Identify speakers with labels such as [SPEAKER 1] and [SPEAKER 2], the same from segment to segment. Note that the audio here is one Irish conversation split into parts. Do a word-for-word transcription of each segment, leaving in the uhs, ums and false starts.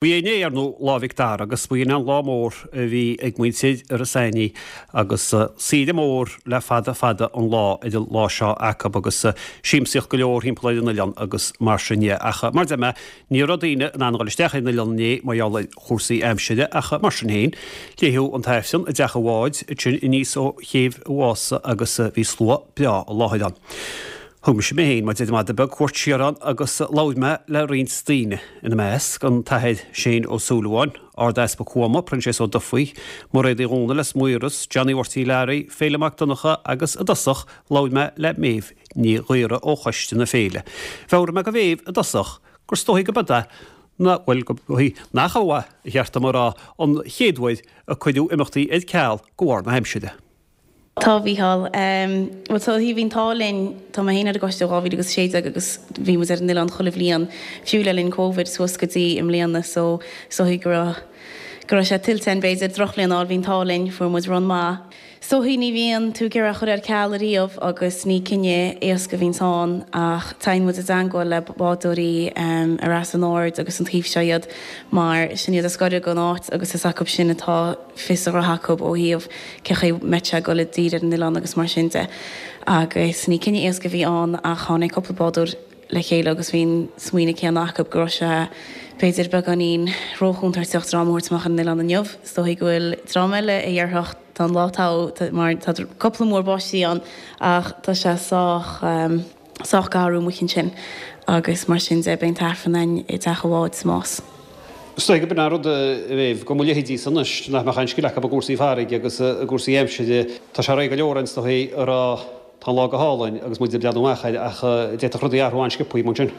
[SPEAKER 1] Bhí inné ar ndóigh Lá Mhic Dara agus b'in an lá mór a bhí ag muintir Iorras Aithnigh agus saoire mór le fada fada an lá ar an lá seo acu agus siamsaíocht go leor thimpeall ar an oileán agus mar sin de. Ach mar a deir mé, ní raibh daoine in ann a dhul isteach ar an oileán inné mar gheall ar chúrsaí aimsire ach mar sin féin, léadh an tAifreann i dteach an bháid ansin aníos ó Chéibh an Mhása agus bhí slua breá i láthair ann. Thug mise mé féin, mar deir an madadh beag, cuairt siar ann agus labhair mé le roinnt daoine, ina measc, an tAthair Shane Ó Súilleabháin, Ard-Easpag Thuama, Proinséas Ó Dufaigh, Mairéad Uí Dhomhnaill as Maoras, Johnny Mharty Larry, Féilim Mac Donncha agus i dtosach labhair mé le Méabh Ní Ghaora ó Choiste na Féile. Mheabhraigh mé do Mhéabh i dtosach gur 's dóichí go b'fhada ná, bhuel, go dóichí nach ea, ba cheart dom a rá, an chéad uair a cuireadh imeachtaí ar ceal de bharr na haimsire.
[SPEAKER 2] Tá, a Mhícheáil. Bhuel, tá, bhí an t-ádh linn, tá mé féin ar an gcoiste ó dhá mhíle agus a sé déag agus bhí muid ar an oileán chuile bhliain, fiú le linn Covid, suas go dtí i mbliana so is dóichí go raibh, go raibh sé tuillte againn b'fhéidir, drochbhliain a fháil, bhí an t-ádh linn, fuair muid run maith. Is dóichí ní bhíonn tú ag iarraidh a chur ar ceal ariamh agus ní cinneadh éasca a bhíonns ann ach téann muid i dteangmháil le bádóirí ar Eas an Aird agus an taobh seo iad mar sin iad is gaire don áit agus is acu sin atá fios a ghnótha acu ó thaobh cé chaoi mbeidh sé ag dul i dtír ar an oileán agus mar sin de. Agus ní cinneadh éasca a bhí ann ach tháinig cúpla bádóir le chéile agus bhí an smaoineamh céanna acu go raibh sé b'fhéidir beagáinín róchontúirteach dream a thabhairt amach ar an oileán inniu. Is dóichí go bhfuil dream eile a dhéarfadh tá an lá togha mar tá cúpla múr báistí ann ach tá sé sách sách garbh amuigh ansin agus mar sin de beidh an t-aifreann againn i dteach an bháid sa Más.
[SPEAKER 1] Is dóigh gurb in an rud a Mhéabh, go mba leithéidí san anois nach mbeadh aon scil acu i gcúrsaí farraige agus i gcúrsaí aimsire. Tá sé réidh go leor ann is dóigh a rá tá an lá go hálainn agus muid ag breathnú amach air ach d'fhéadfadh rudaí athrú an-sciobthaí mar sin.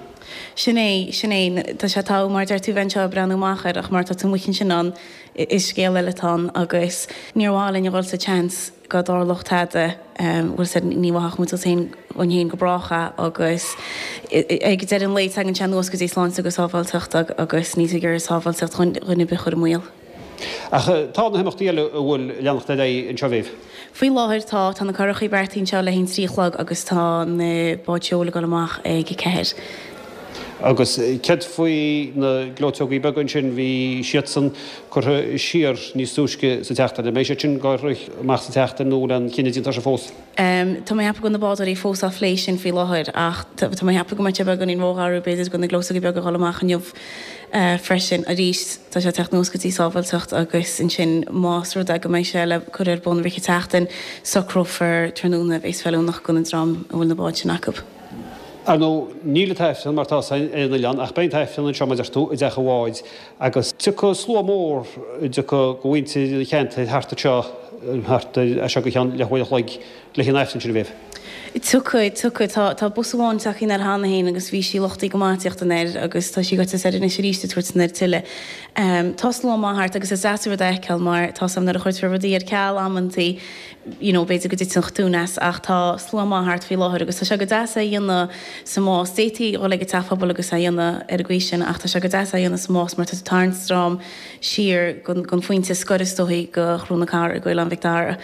[SPEAKER 2] Sin é, sin é. Tá sé togha mar a deir tú bheith anseo ag breathnú amach air ach mar tá tú amuigh ansin ann is scéal eile atá ann agus níor mhaith linn a dhul sa tseans go dtarlódh tada, bhfuil 's a'd, ní mhaithfeadh muid duit féin, dhúinn féin go brách é agus ag deireadh an lae tagann sé anuas go dtí sláinte agus sábháilteacht agus níl tú ag iarraidh sábháilteacht dhuine ar bith a chur i mbaol.
[SPEAKER 1] Ach tá na himeachtaí eile a bhfuil leanacht ar aghaidh anseo, a Mhéabh?
[SPEAKER 2] Faoi láthair tá. Tá na currachaí beartaithe anseo le haghaidh an trí a chlog agus tá na báid seoil ag dul amach ag a ceathair.
[SPEAKER 1] Agus céard faoi na gleoiteogaí beaga ansin, bhí siadsan curtha siar níos túisce sa tseachtain. An mbeidh siad sin ag rith amach sa tseachtain nó an bhfuil aon chinneadh déanta air sin fós?
[SPEAKER 2] Tá mé ag ceapadh go bhfuil na bádóirí fós á phlé sin faoi láthair ach tá mé ag ceapadh go mbeidh sé beagáinín rógharbh b'fhéidir do na gleoiteogaí beaga a dhul amach inniu freisin. Arís, tá sé ag teacht anuas go dtí sábháilteacht agus ansin más rud é go mbeidh sé le cur ar bun i rith an tseachtain, socrófar tráthnóna a bheas feiliúnach don dream a bhfuil na báid sin acu.
[SPEAKER 1] Ar ndóigh, níl an tAifreann mar atá ar an oileán, ach beidh an tAifreann anseo, mar a deir tú, i dteach an bháid, agus tiocfaidh slua mór, tiocfaidh de mhuintir an cheantair thart anseo, thart ar, as seo go ceann leathuair a chloig, le haghaidh an Aifrinn sin, a Mhéabh.
[SPEAKER 2] Tiocfaidh, tiocfaidh. Tá, tá bus amháin tagtha anoir cheana féin agus bhí sí luchtaithe go maith ag tíocht anoir agus tá sí gaibhte soir anois arís ag tabhairt anoir tuilleadh. Tá slua maith thart agus is deas an rud é a fheiceáil mar tá 's a'm nuair a chuirtear rudaí ar ceal amantaí, you know b'fhéidir go dtiteann an tonn as ach tá slua maith thart faoi láthair agus tá sé go deas é a dhéanamh sa Más. D'fhéadfaí dhul ag an teach pobail agus é a dhéanamh ar an gcaoi sin ach tá sé go deas é a dhéanamh sa Más mar tá tú ag tarraingt dream siar gon phointe scoir is dóichí go Chró na Cara go Oileán Mhic Dara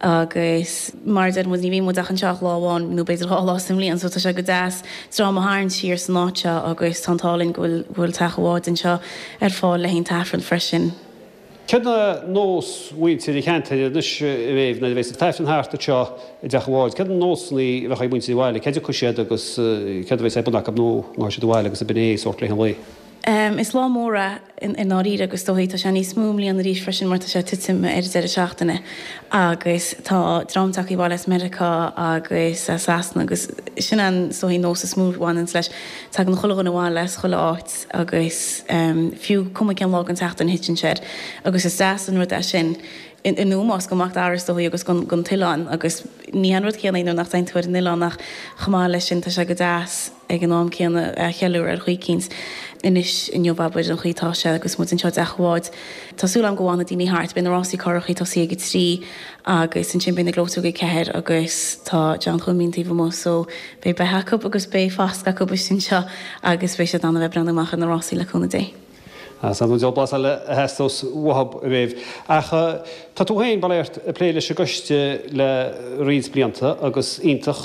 [SPEAKER 2] agus mar a deir muid ní bhíonn muid ach anseo ach lá amháin nó b'fhéidir dhá lá sa mbliain so tá sé go deas dream a tharraingt siar san áit seo agus tá an t-ádh linn go bhfuil go bhfuil teach an bháid anseo ar fáil le haghaidh an t-aifreann freisin.
[SPEAKER 1] Céard é nós mhuintir an cheantair anois, a Mhéabh, nuair a bheas an tAifreann thart anseo i dteach an bháid, céard na nósanna a bheadh ag muintir an bhaile, cá dtiocfaidh siad agus céard a bheas ar bun acu nó an ngabhfaidh siad abhaile agus ab in é sórt laetha an lae?
[SPEAKER 2] Is lá mór é i ndáiríre agus is dóichí tá sé níos mó i mbliana arís freisin mar tá sé ag titim ar an deireadh seachtaine agus tá dream tagtha abhaile as Meiriceá agus as Sasana agus sin an is dóichí nós is mó a bhaineanns leis. Tagann chuile dhuine abhaile as chuile áit agus fiú cuma cén lá den tseachtain a thiteann sé air agus is deas an rud é sin in ómós go Mac Dara is dóichí agus gon t-oileán agus ní hé an rud céanna é nuair nach dtéann tú ar an oileán ach chomh maith leis sin tá sé go deas ag an am céanna é a cheiliúradh ar chaoi eicínt anois inniu abair an chaoi atá sé agus muid anseo i dteach an bháid. Tá súil agam go bhfanfaidh daoine thart. Beidh na rásaí currachaí tosaithe ag a trí agus ansin beidh na gleoiteogaí ag ceathair agus tá John Chuimín taobh amuigh so beidh beithe acu agus beidh fascadh acu istigh anseo agus beidh siad in ann a bheith ag breathnú amach ar na rásaí le cúnamh Dé.
[SPEAKER 1] Is an dul blas eile a theastós uathub roimh. Ach tá tú féin bail ó Dhia ort ag plé leis an gcoiste le roinnt blianta agus iontach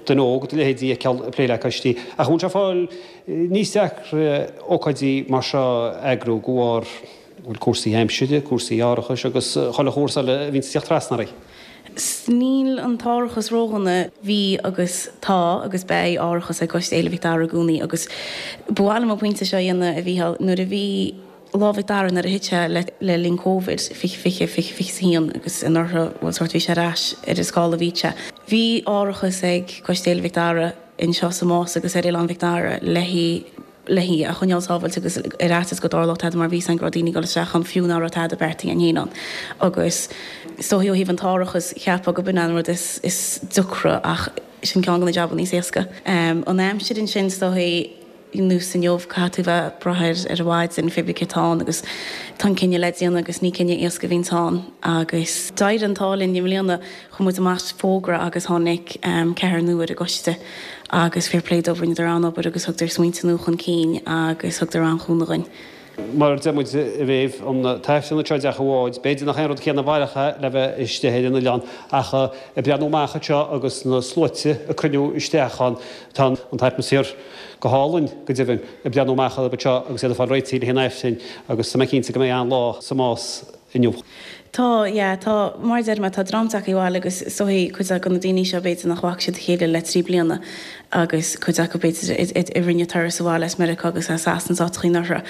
[SPEAKER 1] duine óg do leithéidí a fheiceáil ag plé le coistí. Ach an bhfuil sé ag fáil níos deacra ócáidí mar seo a eagrú de bharr bhuel cúrsaí aimsire, cúrsaí árachais agus chuile chúrsa eile a bhíonns ag teacht trasna orainn?
[SPEAKER 2] Níl an t-árachas ródhona. Bhí agus tá agus beidh árachas ag Coiste Fhéile Mhic Dara i gcónaí agus ba mhaith liom an pointe seo a dhéanamh, a Mhícheáil, nuair a bhí Lá Mhic Dara nuair a thit sé le le linn Covid, fiche fiche, fiche fiche is a haon agus anuraidh, bhuel sórt bhí sé ar ais ar an scála a bhí sé. Bhí árachas ag Coiste Fhéile Mhic Dara anseo sa Más agus ar Oileán Mhic Dara le haghaidh le hí a choinneáil sábháilte agus ar fhaitíos go dtarlódh tada mar bhí fhios againn go raibh daoine ag dul isteach ann fiú nach raibh tada beartaithe againn féin ann agus is dóichí ó thaobh an t-árachas cheapfá go b'in an rud is is deacra ach sin ceann de na jabanna is éasca. An aimsir ansin is dóichí nós inniu caithfidh tú bheith ag brath ar ar an mhaidin pé ar bith cé atá ann agus tá an cinneadh le déanamh agus ní cinneadh éasca a bhíonns ann agus d'éirigh an t-ádh linn i mbliana chuir muid amach fógra agus tháinig ceathrar nua ar an gcoiste agus fair play dóibh rinneadar an-obair agus thugadar smaointe nua chun cinn agus thugadar an-chúnamh dhuinn.
[SPEAKER 1] Mar a deir muid roimh an tAifreann anseo i dteach an bháid, b'fhéidir nach é an rud céanna a mhairfeadh é le bheith istigh ar an oileán ach ag breathnú amach anseo agus na sluaite ag cruinniú isteach ann, tá an t-atmaisféar go hálainn go deimhin ag breathnú amach orthu anseo agus iad ag fáil réitithe le haghaidh an Aifrinn agus tá mé cinnte go mbeidh an-lá sa Más inniu.
[SPEAKER 2] Tá, yeah, tá, mar a deir mé, tá dream tagtha abhaile agus is dóichí cuid de na daoine seo b'fhéidir nach bhfaca siad a chéile le trí bliana agus cuid acu b'fhéidir a rinne turas abhaile as Meiriceá agus as Sasana is áiteachaí anuraidh.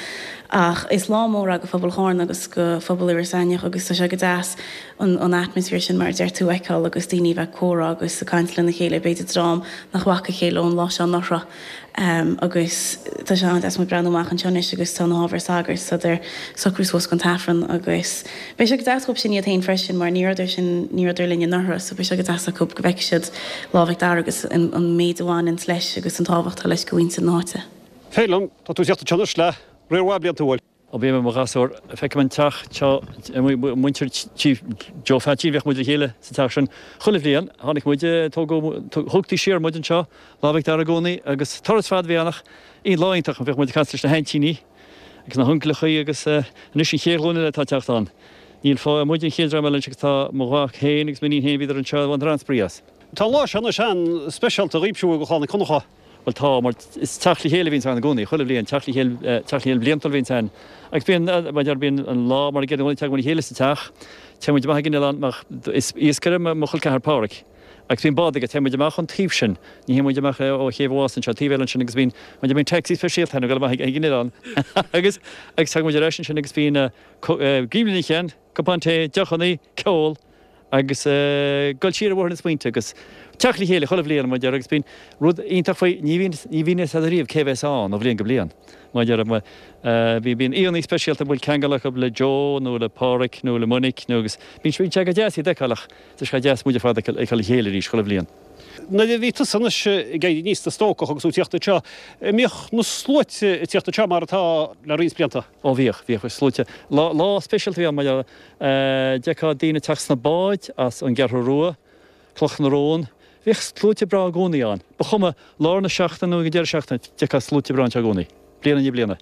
[SPEAKER 2] Ach is lá mór é go phobal Chárna agus go phobal Iorras Aithneach agus tá sé go deas an an atmaisféar sin mar a deir tú a fheiceáil agus daoine a bheith ag comhrá agus ag caint lena chéile, b'fhéidir dream nach bhfaca a chéile ón lá seo anuraidh. Agus tá sé an-deas muid breathnú amach anseo anois agus tá na hábhair sagairt, tá siad ag socrú suas don tAifreann agus beidh sé go deas dhóibh sin iad féin freisin mar ní rabhadar sin, ní rabhadar linn anuraidh so beidh sé go deas acu go bhfeicfidh siad Lá Mhic Dara agus an an méid a bhaineanns leis agus an tábhacht atá leis go mhuintir na háite.
[SPEAKER 1] Féilim, tá tú ag teacht anseo anois le riar mhaith blianta, an bhfuil?
[SPEAKER 3] Ó bhí mé i mo ghasúr, feicim an teach seo, muintir tí Joe Pheaitsín, bhíodh muid le chéile sa teach sin chuile bhliain. Tháinig muid, tógadh, thugtaí siar muid anseo, Lá Mhic Dara i gcónaí agus turas fada a bhí ann ach lá iontach, bhíodh muid ag caint leis na haintíní agus na huncaileachaí agus anois an chéad ghlúin eile atá ag teacht ann. Níl fáth, muid an chéad dream eile anois agus tá mo mhac féin agus m'iníon féin, bhíodar anseo, bhaineadar an-spraoi as.
[SPEAKER 1] Tá an lá seo anois an-speisialta dhaoibh siúd do chlann Uí Chonchú.
[SPEAKER 3] Bhuel tá, mar is teacht le chéile a bhíonns ann i gcónaí, chuile bhliain, teacht le chéile, teacht le chéile bliantúil a bhíonns ann. Agus bíonn, mar a deir, bíonn an lá mar a gcéanna i gcónaí, tagann muid le chéile sa teach, téann muid amach ag an oileán, mar is iascaire mo chol ceathar Pádhraic, agus bíonn bád aige, téann muid amach ón taobh sin, ní théann muid amach ó chéibh an Mhása anseo, taobh eile ansin agus bíonn, mar a deir, bíonn taxi speisialta ann ag dul amach ag an oileán agus, agus tagann muid ar ais ansin agus bíonn giúmar ina cheann, cupán tae, deochannaí, ceol. agus dul siar ar bhóthar na smaointe agus teacht le chéile chuile bhliain, mar a deir, agus bíonn rud iontach faoi, ní bhíonn, ní bhíonn fhios agat riamh cé bheas ann ó bhliain go bliain, mar a deir, bhí, bíonn aíonna speisialta a bhfuil ceangal acu le Joe nó le Pádhraic nó le Monique nó agus bíonn sé, bíonn sé go deas iad a fheiceáil ach tá sé deas muid ar fad a fheiceáil le chéile arís chuile bhliain.
[SPEAKER 1] Nuair a bhí tusa anois ag éirí aníos i do stócach agus tú ag tíocht anseo, an mbíodh na sluaite ag tíocht anseo mar atá le roinnt blianta?
[SPEAKER 3] Ó bhíodh, bhíodh sluaite. Lá, lá speisialta a bhí ann mar a d'fheicfeá daoine ag teacht sna báid as an gCeathrú Rua, Cloch na Rón. Bhíodh sluaite breá i gcónaí ann. Ba chuma, lár na seachtaine nó ag an deireadh seachtaine, d'fheicfeá sluaite breá anseo i gcónaí, bliain i ndiaidh bliana.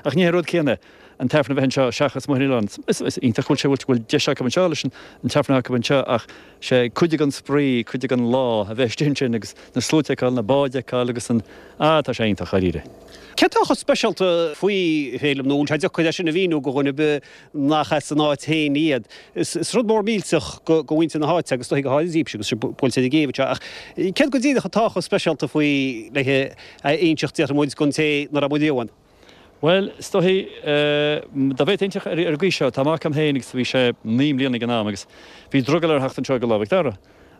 [SPEAKER 3] Ach ní hé an rud céanna an t-aifreann a bheith anseo seachas amuigh ar an oileán. Is iontach go bhfuil sé, go bhfuil deis acu anseo leis an t-aifreann acu anseo ach sé cuid den spraoi, cuid den lá a bheith istigh ansin agus na sluaite a fheiceáil, na báid a fheiceáil agus an, ah, tá sé iontach, dháiríre.
[SPEAKER 1] Céard atá chomh speisialta faoi, Féilim, nó an bhfuil sé deacair é sin a mhíniú do dhuine ar bith nach as an áit féin iad? Is rud mór millteach do mhuintir na háite agus is dóichí go háirithe daoibhse agus sibh buailte ar an gcéibh anseo ach céard go díreach atá chomh speisialta faoi le a inseacht, déarfaidh muid, don té nach raibh riamh ann?
[SPEAKER 3] Bhuel, is dóichí, dá bhféadfainn inseacht ar an gcaoi seo, tá mac agam féin agus bhí sé naoi mbliana ag an am agus bhí drogall air theacht anseo go Lá Mhic Dara.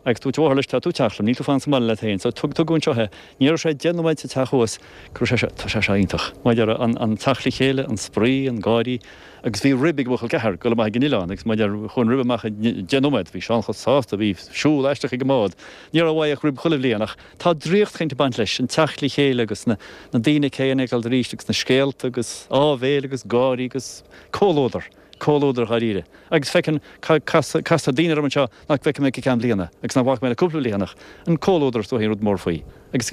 [SPEAKER 3] Agus dúirt a mháthair leis, tá tú ag teacht liom, níl tú fanacht sa mbaile leat féin. So tugadh anseo é. Ní raibh sé deich nóiméad sa teach thuas go raibh sé seo, tá sé seo iontach. Mar a deir, an, an teacht le chéile, an spraoi, an gáirí. Agus bhí rib ag mo chol ceathar, dul amach ag an oileán agus mar a deir, chuaigh an rib amach i deich nóiméad, bhí Seán chomh sásta, bhí siúl aisteach ag an mbád. Ní raibh uaidh ach rib chuile bhliain ach tá draíocht éicint ag baint leis, an teacht le chéile agus na, na daoine céanna ag dul arís agus na scéalta agus áibhéil agus gáirí agus comhluadar. Comhluadar dháiríre. Agus feiceann, castar daoine orm anseo nach bhfeicfidh mé go ceann bliana, agus nach bhfaca mé le cúpla bliain ach an comhluadar is dóichí an rud mór faoi. Agus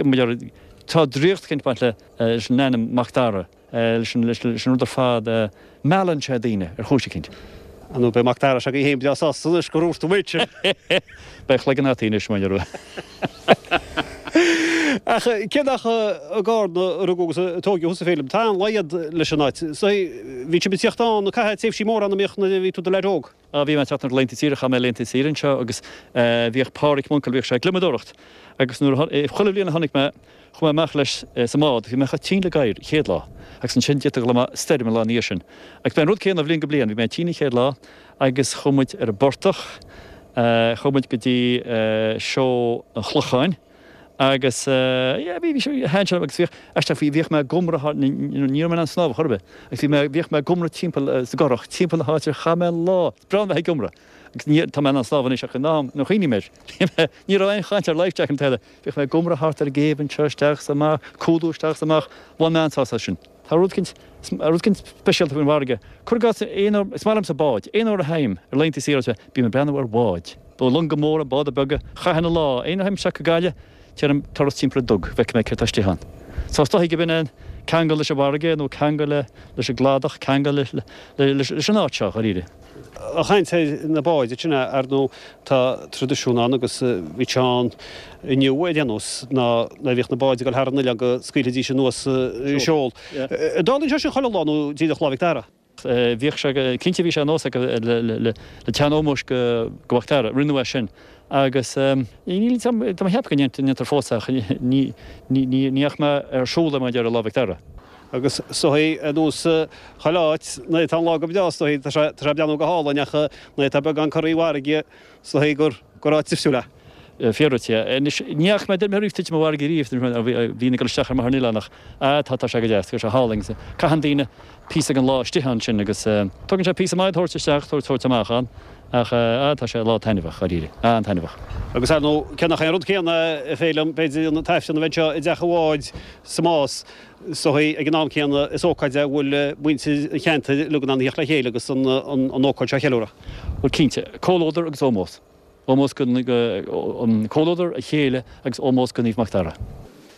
[SPEAKER 3] Tá draíocht eicínt ag baint le leis an ainm Mac Dara, leis an leis an rud ar fad, meallann sé daoine ar chúis eicínt.
[SPEAKER 1] Ar ndóigh beidh Mac Dara s'againn féin breá sásta anois gur dhúirt tú muid sin.
[SPEAKER 3] Beidh a chloigeann ata anois, mar a
[SPEAKER 1] Ach cé nach i gCarna a rugadh agus a tóigeadh thusa, Féilim, tá an-laghad leis an áit. So bhí sibh ag tíocht ann ag caitheamh tréimhsí móra ann a mbíodh nuair a bhí tú i do leaid óg.
[SPEAKER 3] Á, bhí mé ag teacht ar laethanta saoire, chaith mé laethanta saoire anseo agus bhíodh Páraic, m'uncail, bhíodh sé ag gliomadóireacht agus nuair a, chuile bhliain a chonaic mé, chuaigh mé amach leis sa mbád, bhí mé chomh tinn le gadhar an chéad lá agus ansin d'fhéadfadh a dhul amach stoirm an lá ina dhiaidh sin. Agus b'é an rud céanna ó bhliain go bliain, bhí mé tinn an chéad lá agus chuaigh muid ar an bportach, chuaigh muid go dtí seó an Chlocháin agus yeah bhí, bhí sé, thaitin sé agus bhíodh, aisteach, bhí, bhíodh mé ag iomramh thar, ní raibh mé in ann snámh chor ar bith agus bhí mé, bhíodh mé ag iomramh timpeall sa gcurach, timpeall na háite, chaith mé an lá, is breá liom a bheith ag iomramh agus ní, tá mé in ann snámh anois ach in am, nuair a chuimhním air, ní raibh aon chaint ar life jacket ná tada, bhíodh mé ag iomramh thart ar an gcéibh anseo isteach is amach, cúlú isteach is amach, bhain mé an-sásamh as sin. Tá rud eicínt, rud eicínt speisialta faoin bhfarraige. Cuir i gcás, aon uair, is maith liomsa báid, aon uair a théim ar laethanta saoire, bím ag breathnú ar bháid. Longa móra, báda beaga, chaithfinn an lá, aon uair a théim isteach go Gaillimh, déanaim turas timpeall an dug, bhfeicfidh mé céard tá istigh ann. So is dóichí go b'in é an ceangal leis an bhfarraige nó ceangal le, leis an gcladach, ceangal le, le, leis an áit seo, dháiríre.
[SPEAKER 1] Ag caint ar na báid ansin, ar ndóigh, tá traidisiún ann agus bhí sé ann inniu ar aon nós, ná nuair a bhíodh na báid ag dul thar an oileán go scaoilfidís anuas seol. An dtarlaíonn sé sin chuile lá nó díreach Lá Mhic Dara?
[SPEAKER 3] Bhíodh sé, cinnte bhí sé nós acu le teann ómóis go Mac Dara, rinneadh é sin agus níl, tá mé ag ceapadh go ndéantar fós é ach ní fhaca mé ar siúl é mar a déarfá Lá Mhic Dara.
[SPEAKER 1] Agus is dóichí ar nós chuile áit, nuair atá an lá go breá is dóichí, tá sé tá sé ag breathnú go hálainn ach nuair atá beagán corraí farraige is dóichí gur gur áit difriúil é.
[SPEAKER 3] Fíor duit, yeah. Anois, ní fhaca mé duine riamh titim i bhfarraige riamh, bhínn ag dul isteach ar mo an oileán ach ah tá tá sé go deas, tá sé hálainn agus caitheann daoine píosa den lá istigh ansin agus tugann sé píosa maith tabhairt isteach, tabhairt tabhairt amach ann ach ah tá sé lá taitneamhach, dháiríre, an-taitneamhach.
[SPEAKER 1] Agus ar ndóigh, cé nach é an rud céanna a Fhéilim, b'fhéidir an t-aifreann a bheith anseo i dteach an bháid sa Más, is dóichí ag an am céanna is ócáid é a bhfuil muintir an cheantair uilig in ann a theacht le chéile agus an an ócáid seo a cheiliúradh.
[SPEAKER 3] Bhuel cinnte, comhluadar agus ómós. Ómós go, an comhluadar, a chéile agus ómós go Naomh Mac Dara.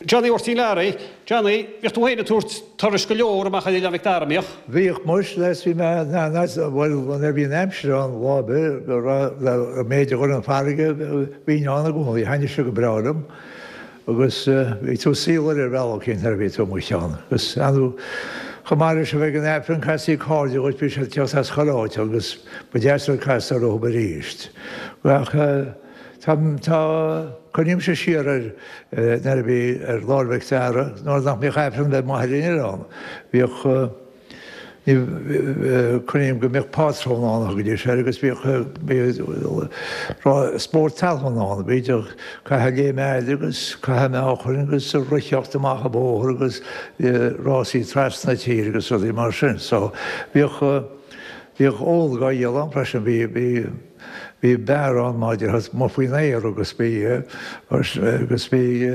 [SPEAKER 1] Johnny Mháirtín Learaí, Johnny, bhíodh tú féin ag tabhairt turais go leor amach ar Oileán Mhic Dara, an mbíodh?
[SPEAKER 4] Bhíodh muis, les, bhí mé, bhuel, nuair a bhí an aimsir ann lá ar bith, go raibh, an méid a ghoir an farraige, bhínn ann i gcónaí, thaitnigh sé go breá liom agus bhí tú ag saol ar bhealach éicint nuair a bhí tú amuigh ann agus ar ndóigh, chomh maith leis a bheith ag an Aifreann, castaí cairde dhuit, bhí siad ag teacht as chuile áit agus ba deas rud casadh orthu arís. Ach tá, tá, cuimhnímse siar ar nuair a bhí ar Lá 'le Mhic Dara, nuair nach mbíodh Aifreann le maith ar an oileán, bhíodh, ní, cuimhním go mbíodh pátrún ann a thugaidís air agus bhíodh, bhíodh spórt talún ann, bhíodh caitheamh léim fhada agus caitheamh meáchain agus reathaíocht amach an bóthar agus rásaí trasna na tíre agus rudaí mar sin. So bhíodh, bhíodh ól dhá dhíol ann freisin, bhí, bhí, bhí beár ann maidir amuigh faoin aer agus bhí, agus bhí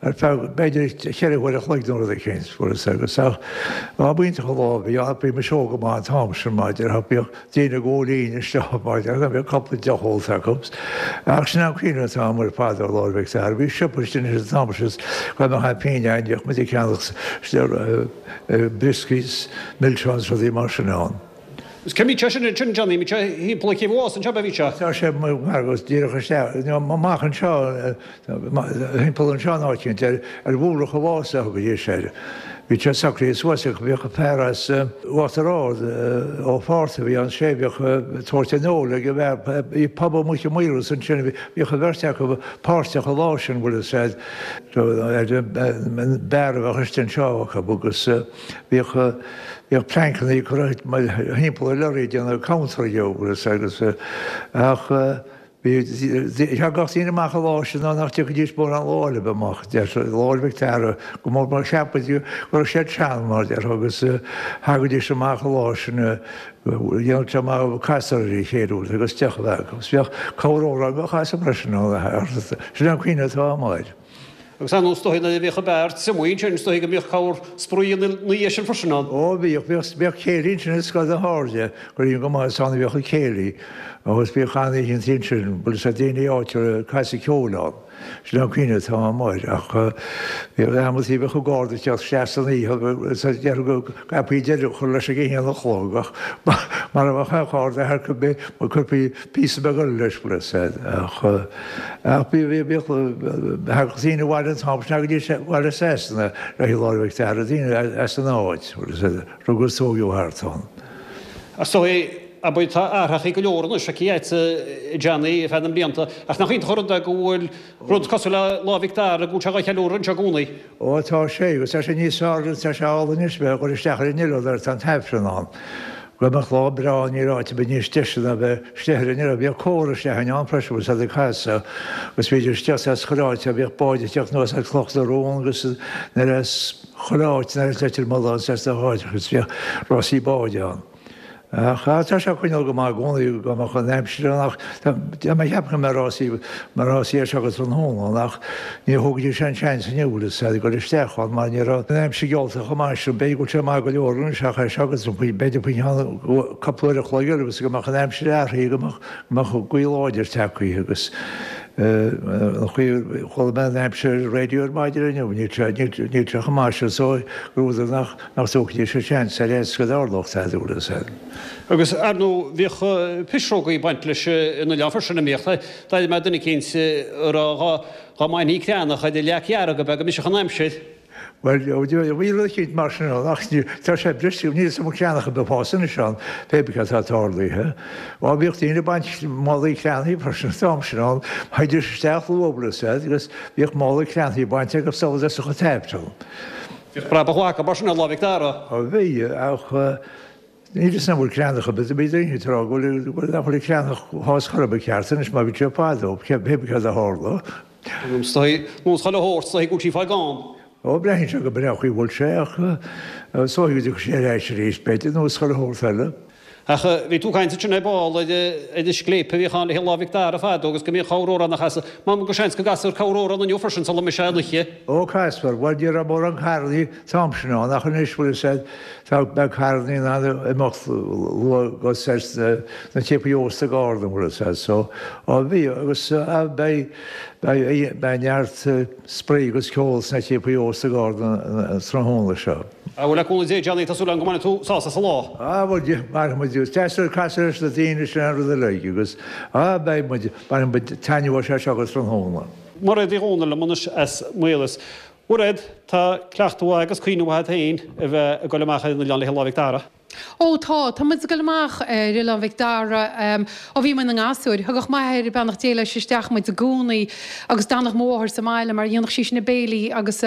[SPEAKER 4] ar feadh b'fhéidir cheithre huaire a chloig nó rud eicínt, fuair fhios agus ach lá b'iontach an lá a bhí ann, bhí mise óg go maith an t-am sin maidir ach bhíodh daoine ag ól linn isteach maidir ach bhíodh cúpla deoch ólta acu. Ach sin an cuimhne atá agam ar fad ar Lá 'le Mhic Dara. Bhí siopa istigh an t-am sin is go mbeadh pingin againn bhíodh muid ag ceannach brioscaí, milseáin is rudaí mar sin ann.
[SPEAKER 1] Is cé mbíodh sé sin ansin, Johnny, mbíodh sé thimpeall ag Céibh an Mhása anseo, bhí sé?
[SPEAKER 4] Tá sé agus díreach isteach, amach anseo, thimpeall anseo in áit éicint, ar ar mhullach an Mhása a thugaidís air. Bhí sé socraithe suas ach bhíodh fear as Uachtar Ard, Ó Fátharta a bhí ann, sé bhíodh ag tabhairt an óil ag an bhfear, bhí pub amuigh i Maoras ansin, bhíodh an bheirt acu páirteach an lá sin, bhfuil fhios a'd, ar an mbeár a bheadh istigh anseo acu agus bhíodh bhíodh pleainceanna curtha thimpeall an lorry ag déanamh counter dhó, bhfuil fhios a'd, agus ach bhí thagadh daoine amach an lá sin ná nach dtiocfaidís mórán lá eile bheith amach, deirtear, Lá 'le Mhic Dara, go mór mar cheap muid go raibh siad sean, mar déarfá, agus thagaidís amach an lá sin, dhéanadh sé amach casadh ar a chéile agus deoch a bheith acu. Agus bhíodh corr-amhrán á chasadh freisin ann, sin an cuimhne atá agam air.
[SPEAKER 1] Agus ar ndóigh is dóichí nuair a bhíodh an beár triomaithe ansin is dóichí go mbíodh corr spraoi ina dhiaidh sin freisin ann.
[SPEAKER 4] Ó bhíodh, bhíodh, bhíodh céilí ansin i Scoil na hAirde, cuimhním go maith is ann a bhíodh an céilí agus bhíodh an-oícheanta ansin, bhfuil fhios a'd daoine áitiúla ag casadh ceoil ann. Sin an cuimhne atá agam air ach bhíodh amantaí bheadh an garda ag teacht isteach san oíche agus déarfá go gcaithfí deireadh a chur leis ag a haon a chlog ach mara mbeadh aon gharda thart go mbeadh chuirfí píosa beag eile leis bhfuil fhios a'd ach ach bhí bhí bhíodh thagadh daoine abhaile an t-am sin thagaidís abhaile as Sasana le haghaidh Lá 'le Mhic Dara daoine as an áit bhfuil fhios a'd rugadh is tógadh thart ann.
[SPEAKER 1] Is dóigh abair tá athrachaí go leor anois aici a Johnny ar feadh na mblianta, ach nach iontach an rud é go bhfuil rud cosúil le Lá Mhic Dara go bhfuil sé dhá cheiliúradh anseo i gcónaí.
[SPEAKER 4] Ó tá sé, agus tá sé níos fearr, tá sé álainn anois bheith ag dul isteach ar an oileán nuair atá an t-Aifreann ann. Go mbeadh lá breá níl áit ar bith níos deise ná bheith istigh ar an oileán. Bhíodh cór isteach ann freisin agus iad ag casadh agus bhídís isteach as chuile áit, bhíodh báid ag teacht anuas as Cloch na Rón agus nuair as chuile áit, nuair as Leitir Mealláin is as na háiteacha agus bhíodh rásaí báid ann. Ach tá sé ag coinneáil go maith i gcónaí go mbeadh an aimsir ann ach tá mé ag ceapadh go mbeidh rásaí mbeidh rásaí ar seo go tráthnóna ann ach ní thógfaidís an seans inniu bhfuil fhios a'd ag dul isteach ann mar ní raibh an aimsir geallta chomh maith sin. B'fhéidir go bhfuil sé maith go leor anois ach ar seo go b'fhéidir faoi cheann cúpla uair a chloig eile agus go mbeadh an aimsir athraithe go mbeadh go mbeadh gaoth láidir tagtha agus an chaoi a chuala mé an aimsir ar an raidió ar maidin inniu níl sé níl sé chomh maith sin so gur údar nach Nach dtógfaidís an seans ar fhaitíos go dtarlódh tada bhfuil fhios a'd.
[SPEAKER 1] Agus, ar ndóigh, bhíodh pisreogaí ag baint leis an oileán freisin, an mbíodh? D'airigh mé duine eicínt ag rá dhá mbainthí creathnach ar an leac dhearg ab ea go mbriseadh an aimsir.
[SPEAKER 4] Bhuel, bhí rud eicínt mar sin ann ach tá sé briste, níl fhios a'm an creathnach ar bith ag fás anois ann, pé ar bith cad atá tarlaithe. Á, bhíodh daoine ag baint málaí creathnaí freisin an t-am sin ann, théidís isteach luath bhfuil fhios a'd agus bhíodh mála creathnaí bainte acu sula dtosódh an t-Aifreann.
[SPEAKER 1] Bhíodh brabach mhaith acu mar sin ar Lá Mhic Dara.
[SPEAKER 4] Ó bhí, ach níl fhios a'm an bhfuil creathnach ar bith, bhí daoine ag rá go bhfuil, nach bhfuil creathnach ag fás chor ar bith ceart anois mar bhí sé fadó, pé ar bith cad a tharla.
[SPEAKER 1] Is dóigh, nós chuile shórt, is dóigh go bhfuil sí fáil gann.
[SPEAKER 4] Ó, breathnaíonn sé go breá an chaoi a bhfuil sé ach is dóigh go dtiocfaidh sé ar ais arís, b'fhéidir, nós chuile shórt eile.
[SPEAKER 1] Ach bhí tú ag caint ansin ar ball ar an scléip a bhíodh ann le haghaidh Lá Mhic Dara fadó agus go mbíodh corr-amhrán á chasadh. M'anam go seans go gcasfar corr-amhrán inniu freisin sula mbeidh sé an oíche.
[SPEAKER 4] Ó, casfar. Bhuel, ní raibh mórán carrannaí an t-am sin ann ach anois, bhfuil fhios a'd, tá, beidh carrannaí in ann imeacht luath go sna tsiopaí ósta gar dom, bhfuil fhios a'd, so, á, bhí, agus beidh, beidh, beidh neart spraoi agus ceol sna tsiopaí ósta gar dom an tráthnóna seo.
[SPEAKER 1] Á bhuel, le cúnamh Dé, Johnny, tá súil agam go mbainfidh tú sásamh as an lá.
[SPEAKER 4] Á bhuel, bainfidh muid, is deas casadh leis na daoine sin an rud uilig agus, á, beidh muid, bainfidh muid taitneamh as seo go tráthnóna.
[SPEAKER 1] Mairéad Uí Dhomhnaill liom anois as Maolas. Mhairéad, tá cleachtadh mhaith agus cuimhne mhaith agat féin a bheith ag dul amach ar an oileán le haghaidh Lá Mhic Dara.
[SPEAKER 5] Ó tá, tá muid ag dul amach ar Oileán Mhic Dara ó bhí mé ina ngasúr. Thugadh m'athair, beannacht Dé leis, isteach muid i gcónaí agus d'fhanadh mo mháthair sa mbaile mar dhéanadh sí na béilí agus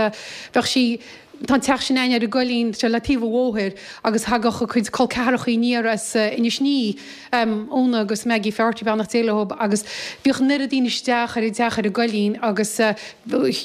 [SPEAKER 5] bheadh sí, Tá an teach sin a'ainn ar an gcoillín, tá sé le taobh an bhóthair agus thagadh a cuid col ceathrachaí aniar as Inis Ní, Úna agus Maggie Faherty, beannacht Dé leo, agus bhíodh an oiread daoine isteach ar an teach ar an gcoillín agus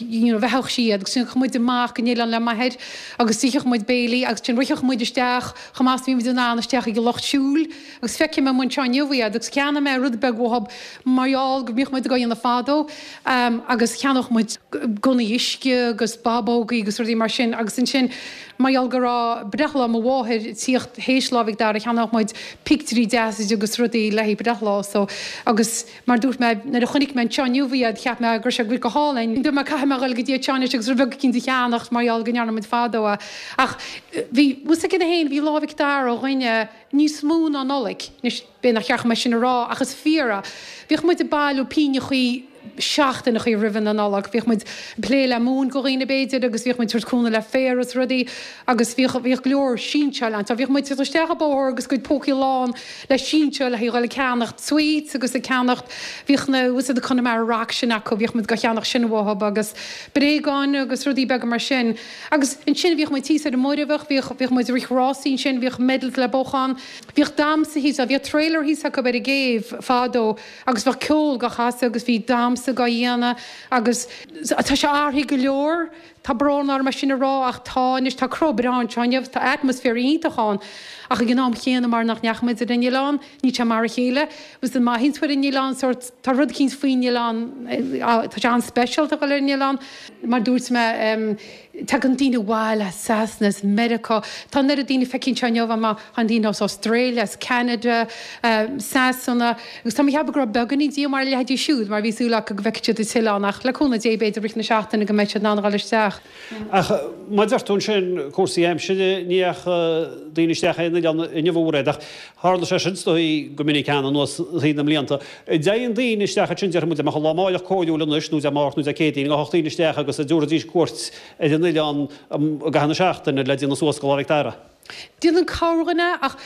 [SPEAKER 5] you know bheathódh sí iad agus théadh muid amach go n-oileán le m'athair agus d'itheadh muid béilí agus ansin ritheadh muid isteach chomh maith is bhí muid in ann isteach ag an lucht siúil agus feicim amuigh anseo inniu iad agus cheannaigh mé rud beag uathu mar gheall go mbíodh muid ag dhéanamh fadó agus cheannódh muid gunnaí uisce agus bábógaí agus rudaí mar sin agus ansin mar gheall go raibh breithlá mo mháthair ag tíocht théis Lá Mhic Dara cheannódh muid pictiúirí deasa di agus rudaí le haghaidh breithlá so agus mar dúirt mé nuair a chonaic mé anseo inniu iad cheap mé go raibh sé go hálainn. Dúirt mé caithfidh mé a dhul go dtí anseo anois agus rud beag eicínt a cheannacht mar gheall go ndearna muid fadó é ach bhí bhfuil fhios agat féin bhí Lá Mhic Dara ó dhuine níos mó ná Nollaig. Anois b'fhéidir nach ceart dom é sin a rá ach is fíor é. Bhíodh muid ag bailiú pingneachaí seachtaineachaí roimhe na Nollag. Bhíodh muid ag plé le móin go dhaoine b'fhéidir agus bhíodh muid ag tabhairt cúnamh le féar is rudaí agus bhíodh bhíodh go leor sinseáil ann. Bhíodh muid ag dul isteach an bóthar agus cuid pócaí lán le sinseáil le haghaidh dhul ag ceannacht sweets agus ag ceannacht bhíodh na bhfuil fhios a'd Connemara Rock sin acu bhíodh muid ag ceannacht sin uathub agus bréagáin agus rudaí beaga mar sin. Agus ansin bhíodh muid thíos ar an Muirbheach bhíodh bhíodh muid ag rith rásaí ansin bhíodh medals le buachan. Bhíodh damhsa thíos, bhíodh trailer thíos acu ar an gcéibh fadó agus bheadh ceol dhá chasadh agus bhí damhsa dhá dhéanamh agus tá sé athraithe go leor, Tá brón orm é sin a rá ach tá anois, tá cró breá anseo inniu, tá atmaisféar iontach ann ach ag an am chéanna mar nach ndeachaigh muid ar an oileán, níl sé mar a chéile. Agus má théann tú ar an oileán sórt, tá rud eicínt faoin oileán, tá sé an-speisialta a dhul ar an oileán. Mar dúirt mé, tagann daoine abhaile as Sasana, as Meiriceá, tá an oiread daoine feicthe anseo inniu, tá daoine as Australia, as Canada, Sasana, agus tá mé ag ceapadh go raibh beagáinín díomá ar a leithéidí siúd mar bhí súil acu go bhfeicfeadh siad an t-oileán ach le cúnamh Dé b'fhéidir rith na seachtaine go mbeidh siad in ann a dhul isteach.
[SPEAKER 1] Ach mar a deir tú ansin, cúrsaí aimsire, ní dheachaigh daoine isteach ar an oileán inniu a Mhairéad, ach tharla sé sin is dóigh go minic cheana anuas thríd na mblianta. An dtéann daoine isteach ansin, déarfaidh muid, dá mbeadh an lá amáireach cóiriúil anois nó Dé Máirt nó Dé Céadaoin, gabhfadh daoine isteach agus an dtabharfaidís cuairt ar an oileán i gcaitheamh na seachtaine le déanamh suas go Lá Mhic Dara.
[SPEAKER 5] Déanann corrdhuine ach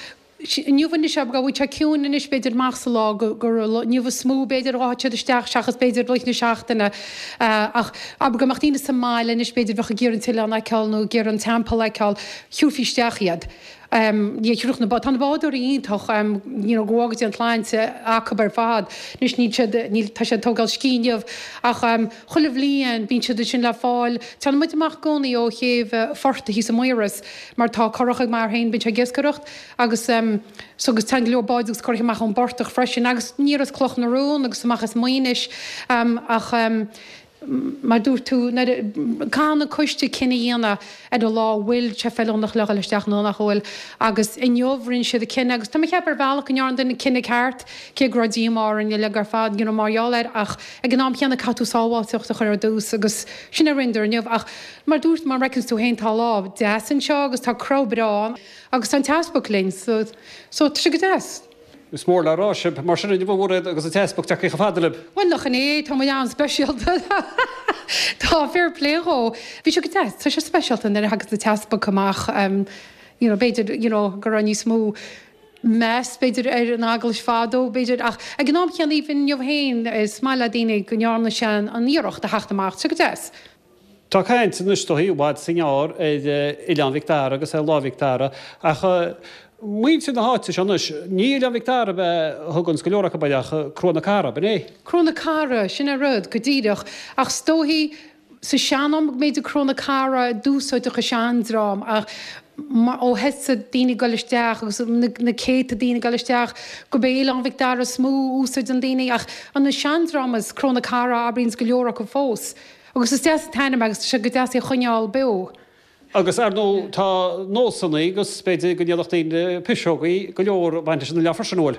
[SPEAKER 5] inniu anois go bhfuil sé ciúin anois b'fhéidir amach sa lá gur inniu is mó b'fhéidir a ghabhfadh siad isteach seachas b'fhéidir rith na seachtaine ach abair go mbeadh daoine sa mbaile anois b'fhéidir bheadh ag iarraidh an t-oileán a fheiceáil nó ag iarraidh an teampall a fheiceáil thiúrfaí isteach iad. Ní thiúrfadh na bá tá na bádóirí iontach you know go bhfága Dia an tsláinte acu ar fad anois níl siad níl tá siad ag tógáil scíth inniu ach chuile bhliain bíonn siad ansin le fáil téann muid amach i gcónaí ó chéibh Phortaigh thíos i Maoras mar tá curach ag m'athair féin bíonn sé ag iascaireacht agus so agus téann go leor báid agus curacha amach ón bportach freisin agus aniar as Cloch na Rón agus amach as Maínis ach mar dúirt tú nuair caithfidh an coiste cinneadh a dhéanamh ar an lá an bhfuil sé feiliúnach le dhul isteach nó nach bhfuil agus inniu rinne siad an cinneadh agus tá mé ag ceapadh ar bhealach go ndearna an cinneadh ceart cé go raibh díomá orainn uilig ar fad you know mar gheall air ach ag an am chéanna caithfidh tú sábháilteacht a chur ar dtús agus sin a rinneadar inniu ach mar dúirt mar fheiceanns tú féin tá lá deas anseo agus tá cró breá ann agus tá an t-easpag linn so so tá sé go deas.
[SPEAKER 1] Is mór le rá sibh mar sin inniu a Mhairéad agus an t-easpag tagtha chomh fada libh.
[SPEAKER 5] Bhuel nach in é, tá muid an-speisialta. Tá, fair play dhó. Bhí sé go deas, tá sé speisialta nuair a thagas an t-easpag amach you know b'fhéidir you know go raibh níos mó meas b'fhéidir ar an eaglais fadó b'fhéidir ach ag an am chéanna even inniu féin is maith le daoine go ndearna sé an iarracht a theacht amach, tá sé go deas.
[SPEAKER 1] Tá caint anois is dóigh i bhfad is i ngearr ar Oileán Mhic Dara agus ar Lá Mhic Dara ach muintir na háite seo anois, ní Oileán Mhic Dara ab ea a thuganns go leor acu air ach Cró na Cara, ab in é?
[SPEAKER 5] Cró na Cara, sin é rud, go díreach. Ach is dóichí sa sean-am go mb'fhéidir Cró na Cara a d'úsáideadh an seandream ach ó thosaigh daoine ag dul isteach agus na céadta daoine ag dul isteach gurb é Oileán Mhic Dara is mó a úsáideann daoine ach an seandream is Cró na Cara a abraíonns go leor acu fós. Agus is deas an t-ainm agus tá sé go deas é a choinneáil beo.
[SPEAKER 1] Agus ar ndóigh tá nósanna agus b'fhéidir go ndéanfadh daoine piseogaí go leor ag baint leis an oileán freisin, an bhfuil?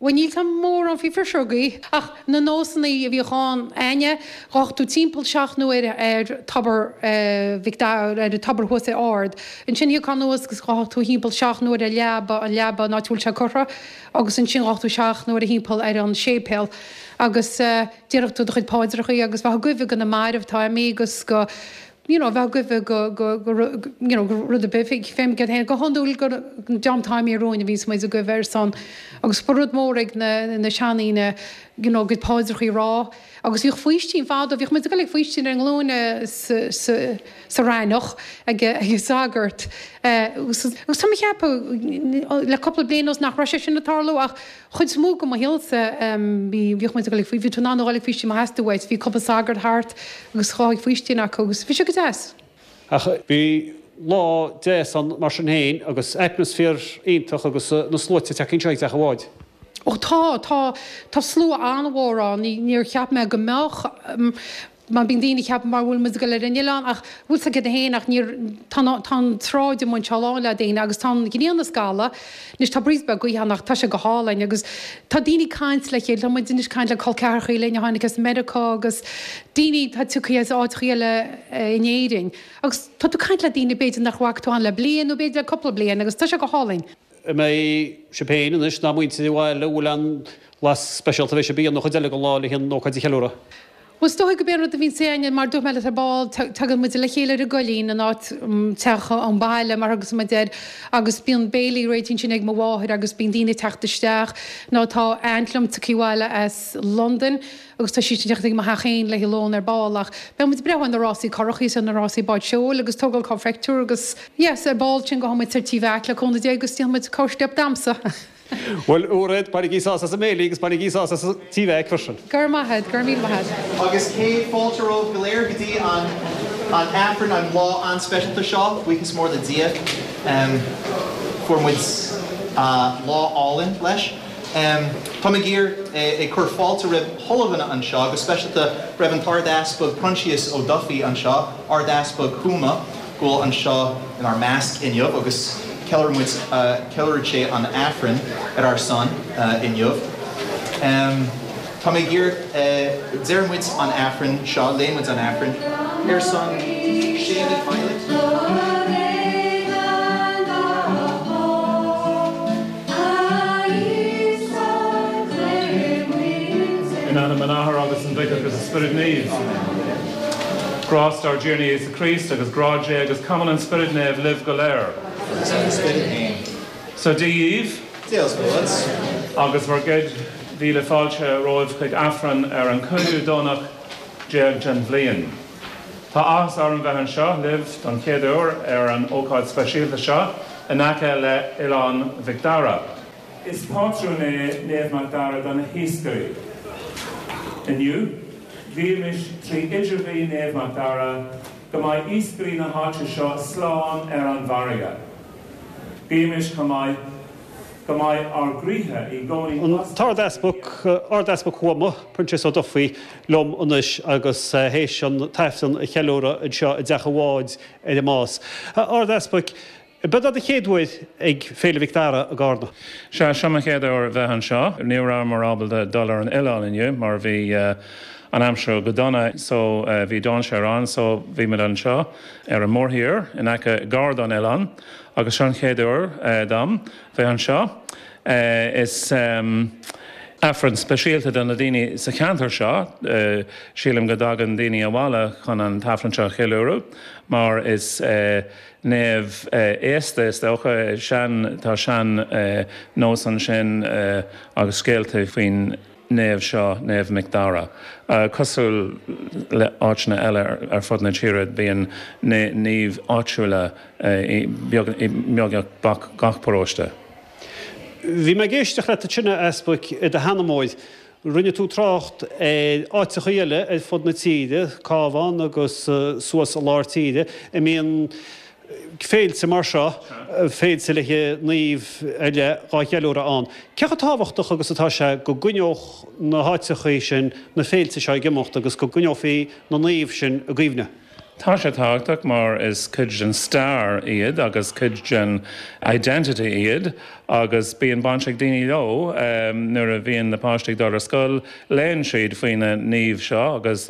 [SPEAKER 5] Bhuel níl 's a'm mórán faoi phiseogaí ach na nósanna a bhíodh ann againne, ghabhfadh tú timpeall seacht n-uaire ar tobar Mhic Dara, ar an tobar thuas ar ard. Ansin thiocfá anuas agus ghabhfadh tú thimpeall seacht n-uaire ar leaba, an leaba an áit a bhfuil sé curtha agus ansin ghabhfadh tú seacht n-uaire thimpeall ar an séipéal agus déarfadh tú do chuid paidreachaí agus bheifeá ag guibhe go na mairbh atá imithe agus go you know bheifeá ag guibhe go go go you know go rud ar bith fém gcéad féin go hiondúil go an dream atá imithe romhainn a bhíonns muid ag guibhe ar son agus ba rud mór ag na na seandaoine you know a gcuid paidreachaí a rá agus bhíodh faoistín fadó bhíodh muid ag dul ag faoistín ar a nglúine sa sa sa raineach ag ag an sagart agus agus tá mé ag ceapadh le cúpla bliain anuas nach raibh sé sin ag tarlú ach chuid is mó de mo shaolsa bhí bhíodh muid ag dul ag bhí tú in ann a dhul ag faoistín má theastaigh uait, bhí cúpla sagart thart agus ghabhfá ag faoistín acu agus bhí sé go deas.
[SPEAKER 1] Ach bhí lá deas ann mar sin féin agus atmaisféar iontach agus na sluaite ag teacht anseo ag teach an bháid.
[SPEAKER 5] Ó tá, tá, tá slua an-mhór ann, níor cheap mé go mbeadh. Mar bíonn daoine ag ceapadh mar bhfuil muid ag dul ar an oileán ach bhfuil 's agat féin ach níor tá tá an tsráid amuigh anseo lán le daoine agus tá an ghrian ag scalladh anois tá breeze beag gaoithe ann ach tá sé go hálainn agus tá daoine ag caint le chéile tá muid anois ag caint le col ceathrachaí linn a tháinig as Meiriceá agus daoine atá tioctha as áiteachaí eile in Éirinn agus tá tú ag caint le daoine b'fhéidir nach bhfaca tú ann le bliain nó b'fhéidir le cúpla bliain agus tá sé go hálainn.
[SPEAKER 1] An mbeidh sibh féin anois ná muintir an bhaile an bhfuil aon bhlas speisialta a bheidh sibh a dhéanamh nó chuid eile den lá le an ócáid a cheiliúradh?
[SPEAKER 5] Bhuel, is dóigh gurb é an rud a bhíonns againne, mar dúirt mé leat ar ball, tagann muid le chéile ar an gcoillín, an áit, teach an bhaile mar a thugas muid air, agus bíonn béilí réitithe ansin ag mo mháthair agus bíonn daoine ag teacht isteach. Nó tá aint liom tagtha abhaile as Londain agus tá sí ag teacht ag mo theach féin le haghaidh lón ar ball ach beidh muid ag breathnú ar na rásaí curachaí is ar na rásaí báid seoil agus tógáil corrphictiúr agus yes, ar ball sin gabhfaidh muid ar Tí Mheaic le cúnamh Dé agus déanfaidh muid corrsteip damhsa.
[SPEAKER 1] Bhuel, a Mhairéad, bainigí sásamh as an mbéilí agus bainigí sásamh as an Tí Mheaic freisin.
[SPEAKER 5] Go raibh maith a't, go raibh míle maith a't.
[SPEAKER 6] Agus céad fáilte romhaibh go léir go dtí an An Aifreann an lá an-speisialta seo, buíochas mór le Dia. Fuair muid lá álainn leis. Tá mé ag iarraidh ag cur fáilte roimh chuile dhuine anseo, go speisialta roimh an tArd-Easpag Proinsias Ó Dufaigh anseo, Ard-Easpag Thuama, go bhfuil anseo inár measc inniu agus ceiliúrann muid, ceiliúrfaidh sé an Aifreann ar ár son inniu. Tá mé ag iarraidh, deir muid an Aifreann seo, léann muid an Aifreann ar son Séimí Pilot.
[SPEAKER 7] In ainm an Athar agus an Mhic agus an Spioraid Naoimh. Grást ár dTiarna Íosa Críost agus grá Dé agus cumann an Spioraid Naoimh libh go léir.
[SPEAKER 6] Agus le do spiorad féin.
[SPEAKER 7] So Dia dhaoibh.
[SPEAKER 6] Dia is Muire duit.
[SPEAKER 7] Agus bhur gcéad mhíle fáilte romhaibh chuig Aifreann ar an cúigiú Domhnach déag den bhliain. Tá áthas orm bheith anseo libh don chéad uair ar an ócáid speisialta seo in aice le Oileán Mhic Dara. Is pátrún é Naomh Mac Dara do na hiascairí. Inniu, guímis trí idirghuí Naomh Mac Dara go mbeidh iascairí na háite seo slán ar an bhfarraige. Guímis chomh maith go mbeidh ár gcroíthe i gcónaí
[SPEAKER 1] An tArd-Easpag, Ard-Easpag Thuama, Proinsias Ó Dufaigh, liom anois agus théis an tAifreann a cheiliúradh anseo i dTeach an Bháid ar an Más. A Ard-Easpaig, b'ead é do chéad uair ag Féile Mhic Dara i gCarna?
[SPEAKER 7] Sea, seo mo chéad uair bheith anseo. Ní rabhamar ábalta dul ar an oileán inniu mar bhí an aimsir go dona so bhí dainséar ann so bhí muid anseo ar an mórthír in aice gar don oileán agus seo an chéad uair dom bheith anseo. Is Aifreann speisialta do na daoine sa cheantar seo. Sílim go dtagann daoine abhaile chun an t-Aifreann seo a cheiliúradh mar is naomh aosta is dócha. Sean, tá sean nós ansin agus scéalta faoin naomh seo, Naomh Mic Dara. Cosúil le áiteanna eile ar fud na tíre, bíonn naoimh áitiúla i mbeagnach gach paróiste.
[SPEAKER 1] Bhí mé ag éisteacht leat ansin, a Easpaig, i do sheanmóir. Rinne tú trácht ar áiteacha eile ar fud na tíre, Cabhán agus suas i lár tíre, a mbíonn féilte mar seo, féilte le naoimh ar leith dhá cheiliúradh ann. Cé chomh tábhachtach agus atá sé go gcoinneodh na háiteachaí sin na féilte seo ag imeacht agus go gcoinneofaí na naoimh sin i gcuimhne?
[SPEAKER 7] Tá sé tábhachtach mar is cuid den stair iad agus cuid den identity iad agus bíonn baint ag daoine leo. Nuair a bhíonn na páistí ag dul ar scoil, léann siad faoi na naoimh seo agus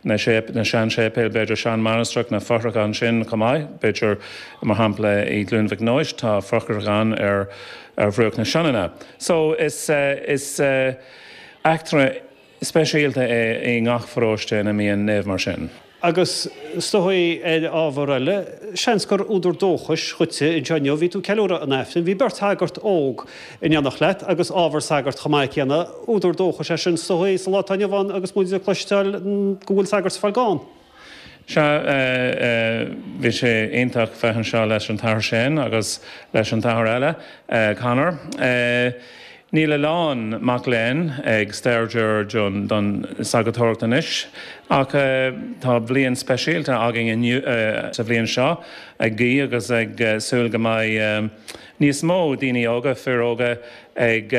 [SPEAKER 7] na sean-séipéil, b'fhéidir sean-mhainistreach, na fothracha ansin chomh maith. B'fhéidir, mar shampla, i gCluain Mhic Nóis tá fothrach ann ar bhruach na Sionainne. So is is eachtra speisialta é i ngach pharóiste ina mbíonn naomh mar sin.
[SPEAKER 1] Agus is dóigh ar ábhar eile, seans gur údar dóchais dhuitse anseo inniu, bhí tú ag ceiliúradh an Aifrinn, bhí beirt shagart óg in éineacht leat agus ábhar sagart chomh maith céanna, údar dóchais é sin is dóigh sa lá atá inniu ann agus muid ag cloisteáil go bhfuil sagairt ag fáil gann.
[SPEAKER 7] Sea, bhí sé iontach bheith anseo leis an tAthair Shane agus leis an t-athair eile, Conor. Níl a lán mac léinn ag staidéar don sagartóireacht anois ach tá bliain speisialta againn inniu sa bhliain seo ag guí agus ag súil go mbeidh níos mó daoine óga, fir óga ag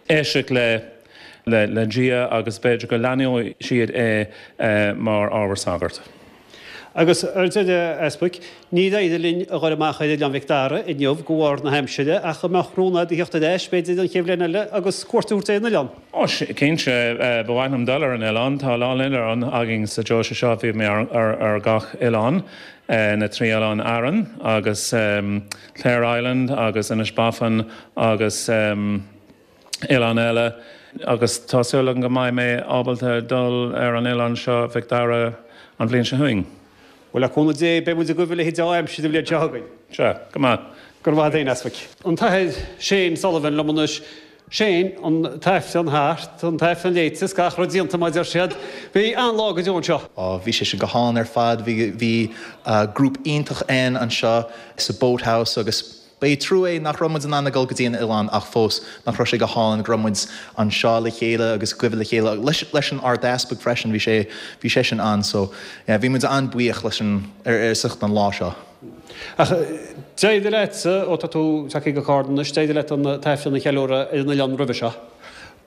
[SPEAKER 7] éisteacht le le Dia agus b'fhéidir go leanfaidh siad é mar ábhar sagart.
[SPEAKER 1] Agus ar deireadh, a Easpaig, níor éirigh linn a dhul amach ar Oileán Mhic Dara inniu de bharr na haimsire, ach an mbeadh rún agat a theacht ar ais, b'fhéidir, an chéad bhliain eile agus cuairt a thabhairt ar an oileán?
[SPEAKER 7] Ó, cinnte, ba mhaith liom dul ar an oileán. Tá a lán oileán againn sa deoise seo, bhí mé ar gach oileán, na trí oileán Arann agus Clare Island agus Inis Bofin agus. oileán eile agus tá súil agam go mbeidh mé ábalta dul ar an oileán seo Mhic Dara an bhliain seo chugainn.
[SPEAKER 1] Bhuel, le cúnamh Dé, beidh muid agaibh a leithéid d'aimsir an bhliain seo chugainn.
[SPEAKER 7] Sea, go maith.
[SPEAKER 1] Go raibh maith agat féin, a Easpaig. An tAthair Shane Sullivan liom anois. Shane, an tAifreann thart, an tAifreann léite is gach rud déanta mar a deir siad. Bhí an-lá go deo anseo.
[SPEAKER 6] Ó, bhí sé sin go hálainn ar fad. Bhí, bhí grúp iontach ann anseo sa Boathouse agus Ba é trua é nach raibh muid in ann a dhul go dtí an oileán ach fós nach raibh sé go hálainn go raibh muid anseo le chéile agus cuimhe le chéile leis, leis an Ardeaspag freisin bhí sé bhí sé sin ann so yeah, bhí muid an-bhuíoch leis an ar ar sucht an lá seo.
[SPEAKER 1] Ach d'éirigh leat ó tá tú tagtha go Carna anois d'éirigh leat an t-aifreann a cheiliúradh ar an oileán roimhe seo.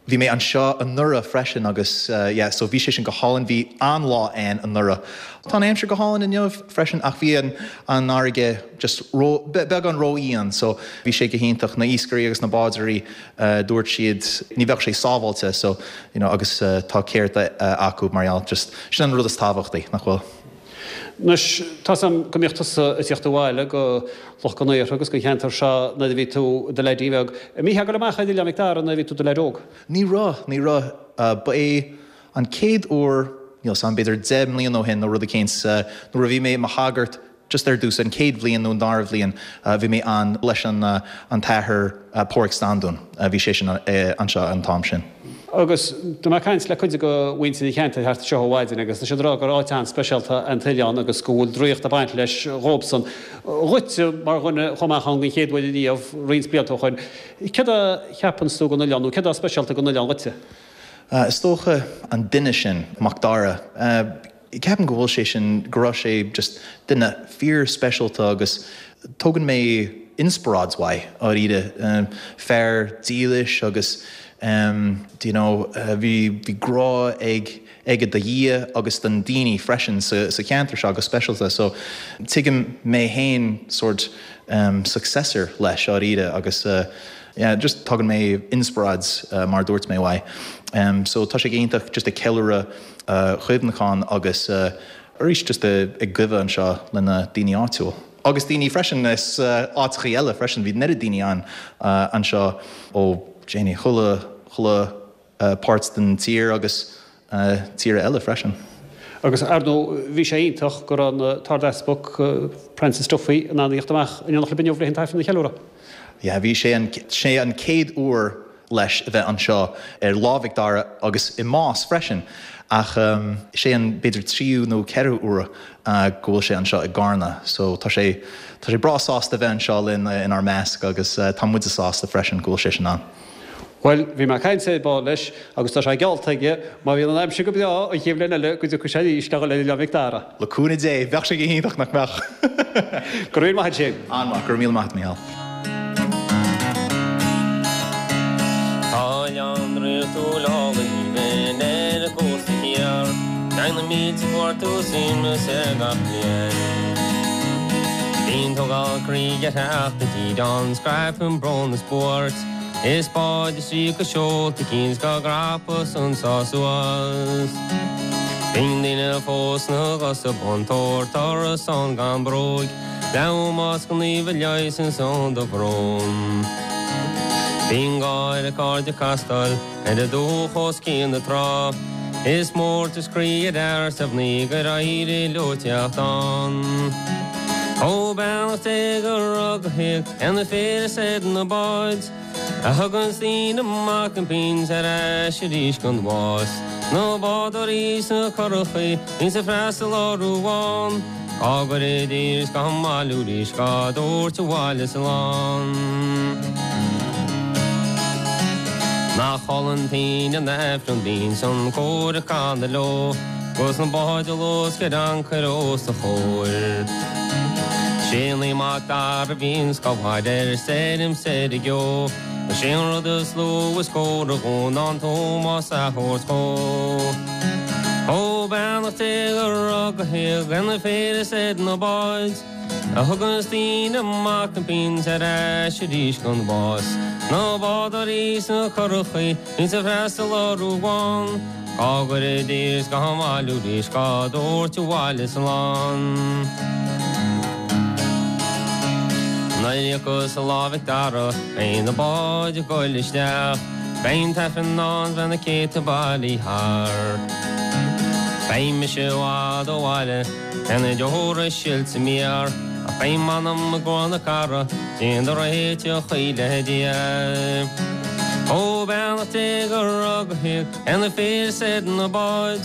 [SPEAKER 6] Bhí mé anseo anuraidh freisin agus uh, yeah, so bhí sé sin go hálainn bhí an-lá ann anuraidh. Tá an aimsir go hálainn inniu freisin ach bhí an an fharraige just ró, beagán róíon, so bhí sé go hiontach na iascairí agus na bádóirí uh, dúirt siad ní bheadh sé sábháilte so you know, agus uh, tá ceart uh, acu mar gheall just sin an rud is tábhachtaí nach bhfuil.
[SPEAKER 1] Anois tá sam go mbíodh tusa ag teacht abhaile go Loch Con Aortha agus go cheantar seo nuair a bhí tú i do leaidí bheag. Mbítheá ag dul amach ar Oileán Mhic Dara nuair a bhí tú i do leaid óg.
[SPEAKER 6] Ní raibh ní raibh uh, ba é an chéad uair níl sam b'fhéidir deich mbliana ó shin nó rud éicint uh, nuair a bhí mé i mo shagart just ar dtús an chéad bhliain nó an dara bhliain uh, bhí mé an leis an uh, an tAthair uh, Pádraig Standún uh, bhí sé sin uh, anseo an t-am sin.
[SPEAKER 1] Agus tá mé ag caint le cuid de mhuintir an cheantair thart seo ar maidin agus tá siad ag rá gur áit an-speisialta an t-oileán agus go bhfuil draíocht ag baint leis dhóibhsan. Dhuit mar dhuine chomh maith an chéad uair riamh roinnt blianta ó shin. Céard a cheapann tú den oileán nó céard atá speisialta den oileán dhuitse?
[SPEAKER 6] Uh, is dócha an duine sin Mac Dara. Uh, ceapaim go bhfuil sé sin go raibh sé just duine fíor speisialta agus tógann mé inspioráid uaidh dáiríre um, fear dílis agus um, do you know, uh, bhí bhí grá ag aige do Dhia agus don daoine freisin sa, sa cheantar seo go speisialta so tuigim mé féin sort um, successor leis dáiríre agus uh, yeah, just tugann mé inspioráid uh, mar dúirt mé uaidh. Um, so tá sé iontach just ag ceiliúradh uh, chuimhneachán agus uh, arís just ag gabháil anseo lena daoine áitiúil. Agus daoine freisin is uh, áiteacha eile freisin bhí neart daoine an uh, anseo ó Janie chuile chuile uh, páirt den tír agus uh, tíre eile freisin.
[SPEAKER 1] Agus ar ndóigh bhí sé iontach go raibh an tArdeaspag Francis Duffy in ann a theacht amach in éineacht libh inniu leis an t-aifreann a cheiliúradh.
[SPEAKER 6] Ja, bhí sé an, sé an chéad uair leis a bheith anseo ar Lá Mhic Dara agus i Nás freisin ach um, sé an b'fhéidir tríú nó ceathrú uair uh, go bhfuil sé anseo i gCarna, so tá sé tá sé breá sásta bheith anseo linn uh, inár measc agus uh, tá muid sásta freisin go bhfuil sé sin ann.
[SPEAKER 1] Well, bhí mé ag caint ar ball leis agus tá sé geallta aige má bhíonn an aimsir go breá an chéad bhliain eile go dtiocfaidh sé arís le Oileán Mhic Dara.
[SPEAKER 6] Le cúnamh Dé, bheadh sé go hiontach nach mbeadh.
[SPEAKER 1] Go raibh maith sin.
[SPEAKER 6] An-mhaith, go raibh míle maith Mícheál.
[SPEAKER 8] Tá oileán draíochtúil álainn ar an gcósta thiar, Tagann na mílte cuairteoir suaimhneas air gach bliain. Bíonn tógáil croí ag teacht i dtír ann, scaipeann brón is buairt, Is báid istigh go seolta cinn 's dhá gcrapadh 's an sá suas. Bíonn daoine fós 'na gcosa bun tabhair turas ann gan bróig, Le hómós go naomh a leigheasann san do bhrón. Bíonn gáire cairde ag castáil ar an dúch os cionn na trá, Is mórtas croí ar fhear 's ar mhnaoi gur éirigh leo teacht ann. Ó beannacht Dé go raibh go héag ar na fir is ar na báid, A thugann daoine amach an pian 's ar ais arís gon bhás. Na bádóirí 's na curachaí bíonns ag freastal orthu ann, Á gcur i dtír 's dhá mbailiú arís dhá dtabhairt abhaile slán. Nach álainn an t-aoine an Aifreann bíonns an cór ag canadh leo, 'Gus na báid ag luascadh ancaire os a chomhair. Sé Naomh Mac Dara a bhíonns chomh fada ar stoirm 's ar an gceo, Sé an rud is lú is córa dhó ná an t-ómós a thabhairt dhó. Ó beannacht Dé go raibh go héag ar na fir is ar na báid, A thugann daoine amach an pian 's ar ais arís gon bhás. Na bádóirí 's na curachaí bíonns ag freastal orthu ann, Dhá gcur i dtír 's dhá mbailiú arís dhá dtabhairt abhaile slán. Nuair a thiocfas Lá Mhic Dara beidh na báid ag goil isteach, Beidh an t-aifreann ann 's beidh na céadta bailithe thart. Beidh mise i bhfad ó bhaile, beidh na deora silte mear, Ach beidh m'anam i gcomhair na cathrach, déanta réiteach le Dia. Ó beannacht Dé go raibh go héag ar na fir 's ar na báid,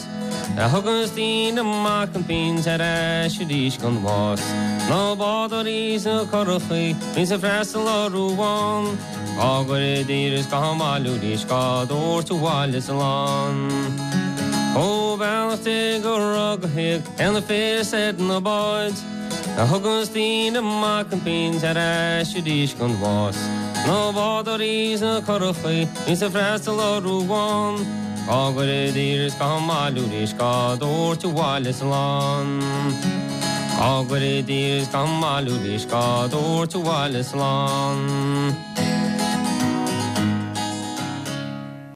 [SPEAKER 8] A thugas daoine amach an bpínt ar ais arís gon bhás. Na bádóirí is na curachaí bíonns ag freastal orthu ann. Dhá gcur i dtír is dhá mbailiú arís dhá dtabhairt abhaile slán. Ó beannacht Dé go raibh go héag ar na fir is ar na báid. A thugas daoine amach an bpínt ar ais arís gon bhás. Na bádóirí is na curachaí bíonns ag freastal orthu ann. Dhá gcur i dtír is dhá mbailiú arís dhá dtabhairt abhaile slán. Dhá gcur i dtír is dhá mbailiú arís dhá dtabhairt abhaile slán.